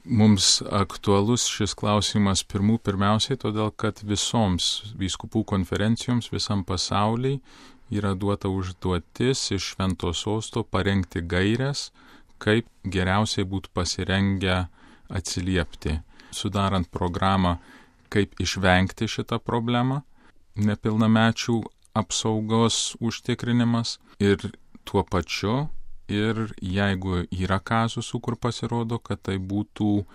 Mums aktualus šis klausimas pirmiausiai, todėl kad visoms vyskupų konferencijoms visam pasauliui yra duota užduotis iš Švento Sosto parengti gaires, kaip geriausiai būtų pasirengę atsiliepti, sudarant programą, kaip išvengti šitą problemą, nepilnamečių apsaugos užtikrinimas ir tuo pačiu, ir jeigu yra kazusų, kur pasirodo, kad tai būtų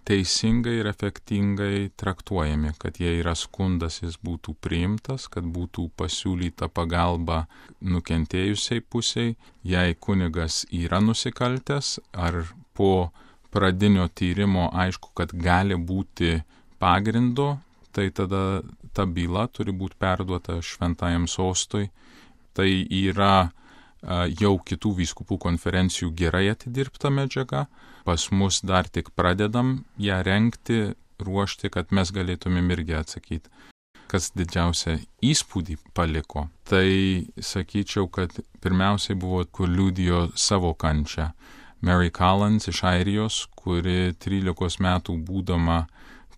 teisingai ir efektingai traktuojami, kad jei yra skundas, jis būtų priimtas, kad būtų pasiūlyta pagalba nukentėjusiai pusiai, jei kunigas yra nusikaltęs ar po pradinio tyrimo aišku, kad gali būti pagrindo, tai tada ta byla turi būti perduota Šventajam Sostui. Tai yra jau kitų vyskupų konferencijų gerai atidirbta medžiaga. Pas mus dar tik pradedam ją rengti, ruošti, kad mes galėtumėm irgi atsakyti. Kas didžiausią įspūdį paliko, tai sakyčiau, kad pirmiausiai buvo, kur liudijo savo kančią. Mary Collins iš Airijos, kuri 13 metų būdama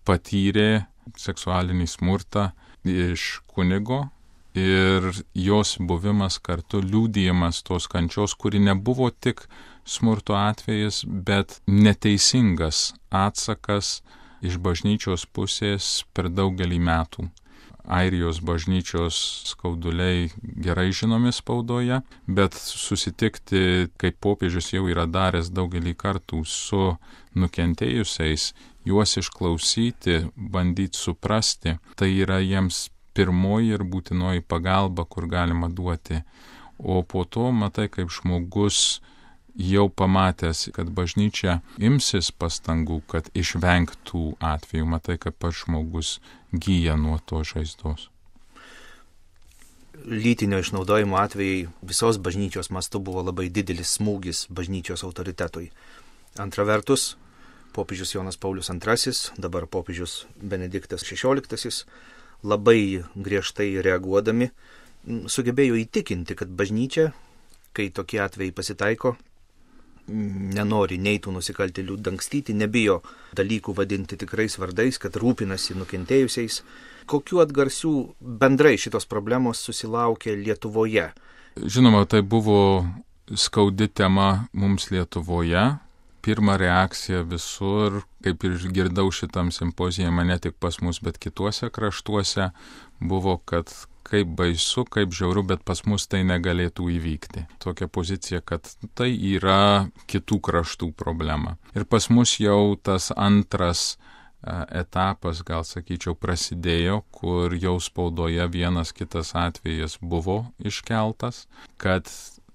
patyrė seksualinį smurtą iš kunigo ir jos buvimas kartu liudijimas tos kančios, kuri nebuvo tik smurto atvejis, bet neteisingas atsakas iš bažnyčios pusės per daugelį metų. Airijos bažnyčios skauduliai gerai žinomi spaudoje, bet susitikti, kaip popiežius jau yra daręs daugelį kartų su nukentėjusiais, juos išklausyti, bandyti suprasti, tai yra jiems pirmoji ir būtinoji pagalba, kur galima duoti. O po to matai, kaip žmogus jau pamatęs, kad bažnyčia imsis pastangų, kad išvengtų atvejų, matai, kad pats žmogus gyja nuo to žaizdos. Lytinio išnaudojimo atvejai visos bažnyčios mastu buvo labai didelis smūgis bažnyčios autoritetui. Antra vertus, popiežius Jonas Paulius II, dabar popiežius Benediktas XVI, labai griežtai reaguodami, sugebėjo įtikinti, kad bažnyčia, kai tokie atvejai pasitaiko, nenori nei tų nusikaltėlių dangstyti, nebijo dalykų vadinti tikrais vardais, kad rūpinasi nukentėjusiais. Kokių atgarsių bendrai šitos problemos susilaukė Lietuvoje? Žinoma, tai buvo skaudi tema mums Lietuvoje. Pirma reakcija visur, kaip ir girdau šitam simpozijame, ne tik pas mus, bet kituose kraštuose, buvo, kad kaip baisu, kaip žiauru, bet pas mus tai negalėtų įvykti. Tokia pozicija, kad tai yra kitų kraštų problema. Ir pas mus jau tas antras etapas, gal sakyčiau, prasidėjo, kur jau spaudoje vienas kitas atvejas buvo iškeltas, kad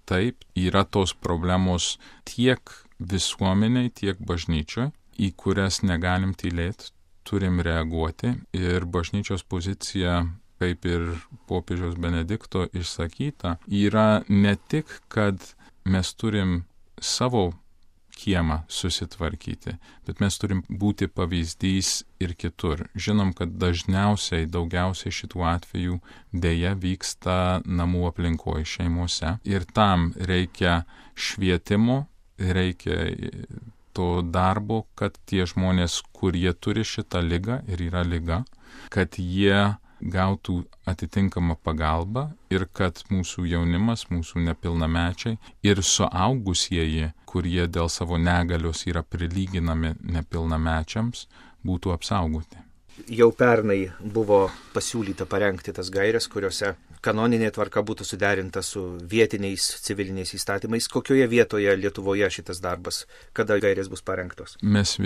taip yra tos problemos tiek visuomeniai, tiek bažnyčioj, į kurias negalim tylėti, turim reaguoti ir bažnyčios pozicija, kaip ir popiežiaus Benedikto išsakyta, yra ne tik, kad mes turim savo kiemą susitvarkyti, bet mes turim būti pavyzdys ir kitur. Žinom, kad daugiausiai šitų atvejų dėja vyksta namų aplinkoje, šeimose. Ir tam reikia švietimo, reikia to darbo, kad tie žmonės, kurie turi šitą ligą ir yra liga, kad jie gautų atitinkamą pagalbą ir kad mūsų jaunimas, mūsų nepilnamečiai ir suaugusieji, kurie dėl savo negalios yra prilyginami nepilnamečiams, būtų apsaugoti. Jau pernai buvo pasiūlyta parengti tas gaires, kuriuose kanoninė tvarka būtų suderinta su vietiniais civiliniais įstatymais. Kokioje vietoje Lietuvoje šitas darbas, kada gairės bus parengtos? Mes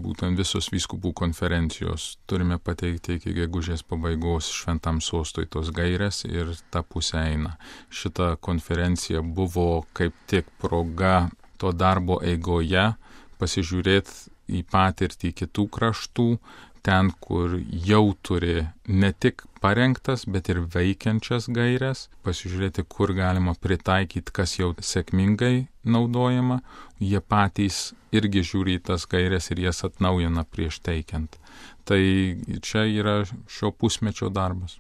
būtent visos vyskupų konferencijos turime pateikti iki gegužės pabaigos Šventam Sostui tos gairės ir ta pusė eina. Šita konferencija buvo kaip tik proga to darbo eigoje pasižiūrėti į patirtį kitų kraštų, ten, kur jau turi ne tik parengtas, bet ir veikiančias gairias, pasižiūrėti, kur galima pritaikyti, kas jau sėkmingai naudojama. Jie patys irgi žiūri tas gairias ir jas atnaujina prieš teikiant. Tai čia yra šio pusmečio darbas.